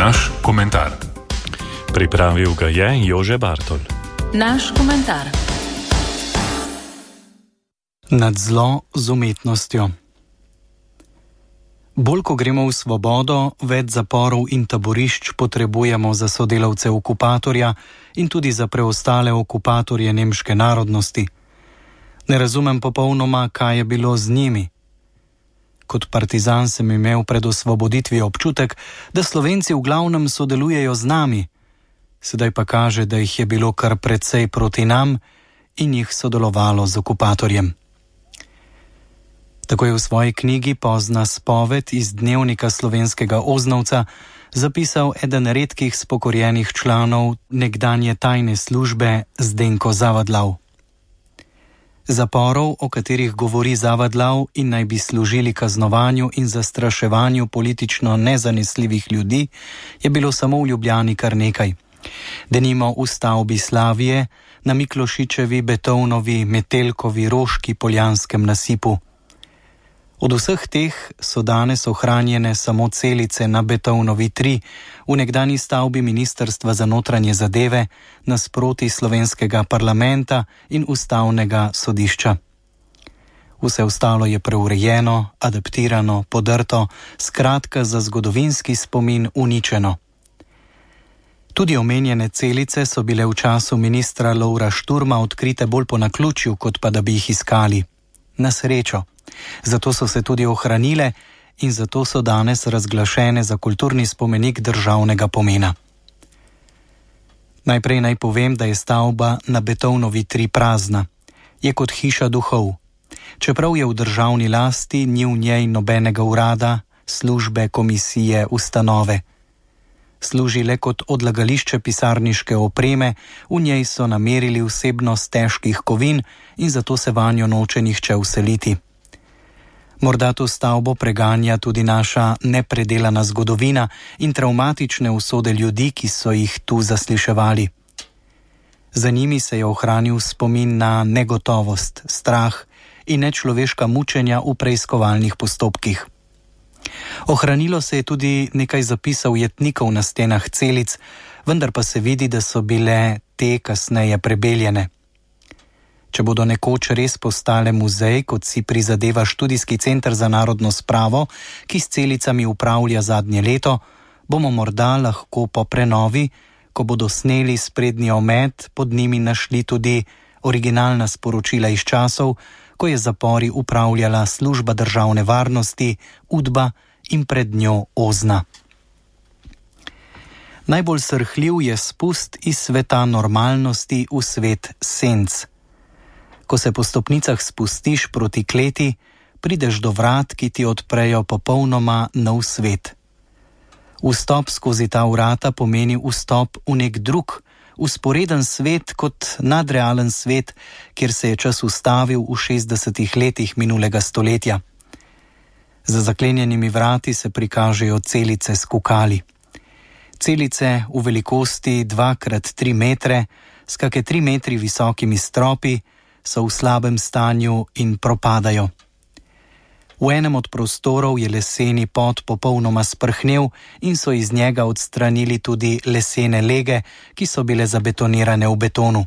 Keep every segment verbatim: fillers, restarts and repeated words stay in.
Naš komentar. Pripravil ga je Jože Bartol. Naš komentar. Nad zlo z umetnostjo. Bolj ko gremo v svobodo, več zaporov in taborišč potrebujemo za sodelavce okupatorja in tudi za preostale okupatorje nemške narodnosti. Ne razumem popolnoma, kaj je bilo z njimi. Kot partizan sem imel pred osvoboditvijo občutek, da Slovenci v glavnem sodelujejo z nami. Sedaj pa kaže, da jih je bilo kar precej proti nam in jih sodelovalo z okupatorjem. Tako je v svoji knjigi Pozna spoved iz dnevnika slovenskega Oznovca zapisal eden redkih spokorjenih članov nekdanje tajne službe Zdenko Zavadlav. Zaporov, o katerih govori Zavadlav in naj bi služili kaznovanju in zastraševanju politično nezanesljivih ljudi, je bilo samo v Ljubljani kar nekaj. Denimo v stavbi Slavije, na Miklošičevi, Betovnovi, Metelkovi, Roški, Poljanskem nasipu. Od vseh teh so danes ohranjene samo celice na Betovnovi tri, v nekdanji stavbi Ministrstva za notranje zadeve, nasproti slovenskega parlamenta in ustavnega sodišča. Vse ostalo je preurejeno, adaptirano, podrto, skratka za zgodovinski spomin uničeno. Tudi omenjene celice so bile v času ministra Lovra Šturma odkrite bolj po naključju, kot pa da bi jih iskali. Na srečo. Zato so se tudi ohranile in zato so danes razglašene za kulturni spomenik državnega pomena. Najprej naj povem, da je stavba na Betovnovi tri prazna. Je kot hiša duhov. Čeprav je v državni lasti, ni v njej nobenega urada, službe, komisije, ustanove. Služi le kot odlagališče pisarniške opreme, v njej so namerili vsebnost težkih kovin in zato se vanjo noče nihče vseliti. Morda to stavbo preganja tudi naša nepredelana zgodovina in travmatične usode ljudi, ki so jih tu zasliševali. Za njimi se je ohranil spomin na negotovost, strah in nečloveška mučenja v preiskovalnih postopkih. Ohranilo se je tudi nekaj zapisov jetnikov na stenah celic, vendar pa se vidi, da so bile te kasneje prebeljene. Če bodo nekoč res postale muzej, kot si prizadeva Študijski center za narodno spravo, ki s celicami upravlja zadnje leto, bomo morda lahko po prenovi, ko bodo sneli sprednji omet, pod njimi našli tudi originalna sporočila iz časov, ko je zapori upravljala služba državne varnosti, Udba in pred njo Ozna. Najbolj srhljiv je spust iz sveta normalnosti v svet senc. Ko se po stopnicah spustiš proti kleti, prideš do vrat, ki ti odprejo popolnoma nov svet. Vstop skozi ta vrata pomeni vstop v nek drug, vzporeden svet kot nadrealen svet, kjer se je čas ustavil v šestdesetih letih minulega stoletja. Za zaklenjenimi vrati se prikažejo celice s kukali. Celice v velikosti dva krat tri metre, s kake tri metri visokimi stropi, so v slabem stanju in propadajo. V enem od prostorov je leseni pod popolnoma sprhnel in so iz njega odstranili tudi lesene lege, ki so bile zabetonirane v betonu.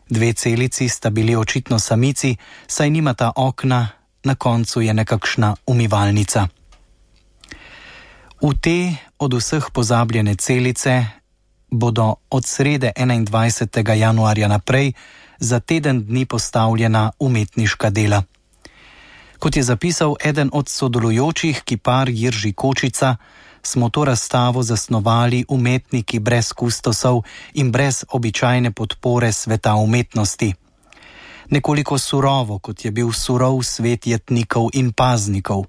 Dve celici sta bili očitno samici, saj nimata okna, na koncu je nekakšna umivalnica. V te od vseh pozabljene celice bodo od srede enaindvajsetega januarja naprej za teden dni postavljena umetniška dela. Kot je zapisal eden od sodelujočih, kipar Jirži Kočica, smo to razstavo zasnovali umetniki brez kustosov in brez običajne podpore sveta umetnosti. Nekoliko surovo, kot je bil surov svet jetnikov in paznikov.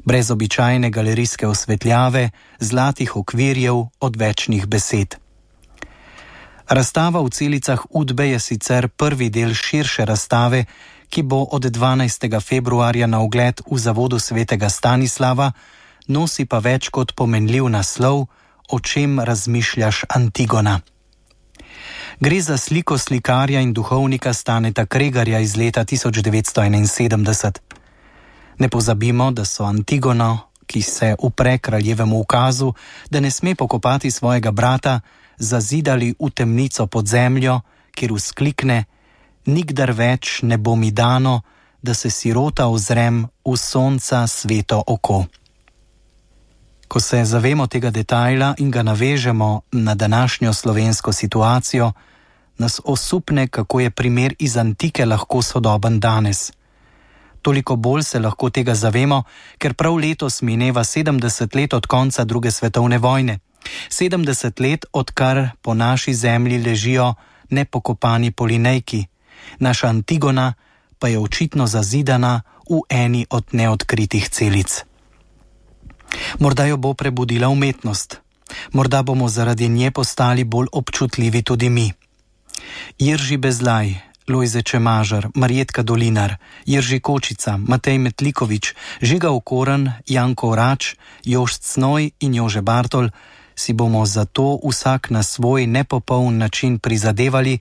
Brez običajne galerijske osvetljave, zlatih okvirjev, odvečnih besed. Razstava v celicah Udbe je sicer prvi del širše razstave, ki bo od dvanajstega februarja na ogled v Zavodu svetega Stanislava, nosi pa več kot pomenljiv naslov O čem razmišljaš, Antigona. Gre za sliko slikarja in duhovnika Staneta Kregarja iz leta tisoč devetsto enainsedemdeset. Ne pozabimo, da so Antigono, ki se upre kraljevemu ukazu, da ne sme pokopati svojega brata, zazidali v temnico pod zemljo, kjer vzklikne: nikdar več ne bo mi dano, da se sirota ozrem v sonca sveto oko. Ko se zavemo tega detajla in ga navežemo na današnjo slovensko situacijo, nas osupne, kako je primer iz antike lahko sodoben danes. Toliko bolj se lahko tega zavemo, ker prav letos mineva sedemdeset let od konca druge svetovne vojne. sedemdeset let, odkar po naši zemlji ležijo nepokopani Polinejki. Naša Antigona pa je očitno zazidana v eni od neodkritih celic. Morda jo bo prebudila umetnost. Morda bomo zaradi nje postali bolj občutljivi tudi mi. Jerži Bezlaj, Lojze Čemažar, Marjetka Dolinar, Jerži Kočica, Matej Metlikovič, Žiga Okoren, Janko Orač, Jošt Cnoj in Jože Bartol si bomo zato vsak na svoj nepopoln način prizadevali,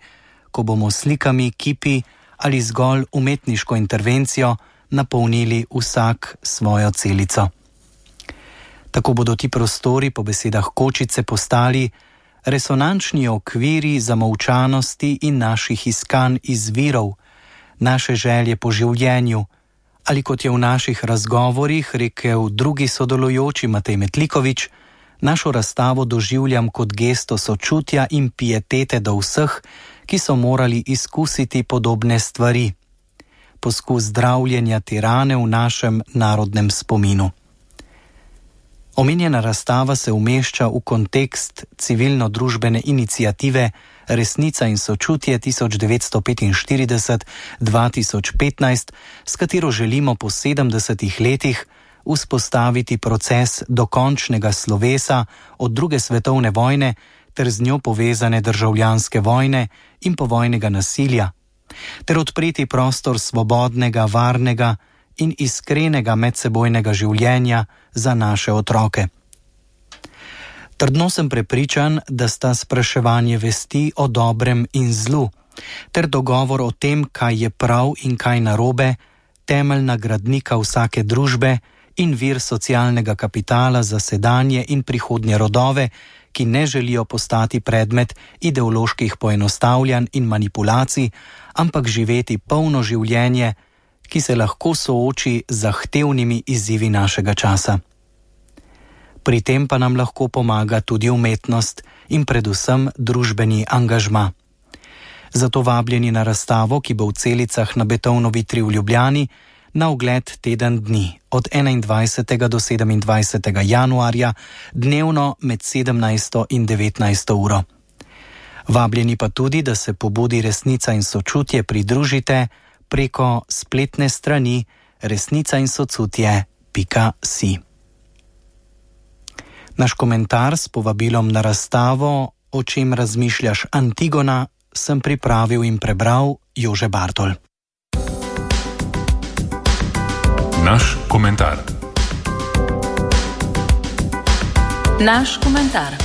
ko bomo slikami, kipi ali zgolj umetniško intervencijo napolnili vsak svojo celico. Tako bodo ti prostori po besedah Kočice postali resonančni okviri zamolčanosti in naših iskanj izvirov, naše želje po življenju, ali kot je v naših razgovorih rekel drugi sodelujoči Matej Metlikovič, našo razstavo doživljam kot gesto sočutja in pietete do vseh, ki so morali izkusiti podobne stvari. Poskus zdravljenja te rane v našem narodnem spominu. Omenjena razstava se umešča v kontekst civilno-družbene iniciative Resnica in sočutje tisoč devetsto petinštirideset do dva tisoč petnajst, s katero želimo po sedemdesetih letih vzpostaviti proces dokončnega slovesa od druge svetovne vojne ter z njo povezane državljanske vojne in povojnega nasilja, ter odpreti prostor svobodnega, varnega in iskrenega medsebojnega življenja za naše otroke. Trdno sem prepričan, da sta spraševanje vesti o dobrem in zlu, ter dogovor o tem, kaj je prav in kaj narobe, temeljna gradnika vsake družbe in vir socialnega kapitala za sedanje in prihodnje rodove, ki ne želijo postati predmet ideoloških poenostavljanj in manipulacij, ampak živeti polno življenje, ki se lahko sooči z zahtevnimi izzivi našega časa. Pri tem pa nam lahko pomaga tudi umetnost in predvsem družbeni angažma. Zato vabljeni na razstavo, ki bo v celicah na Betovnovi tri v Ljubljani, na ogled teden dni, od enaindvajsetega do sedemindvajsetega januarja, dnevno med sedemnajsto in devetnajsto uro. Vabljeni pa tudi, da se pobudi Resnica in sočutje pridružite preko spletne strani resnica in sočutje pika si. Naš komentar s povabilom na razstavo O čem razmišljaš, Antigona, sem pripravil in prebral Jože Bartol. Naš komentar. Naš komentar.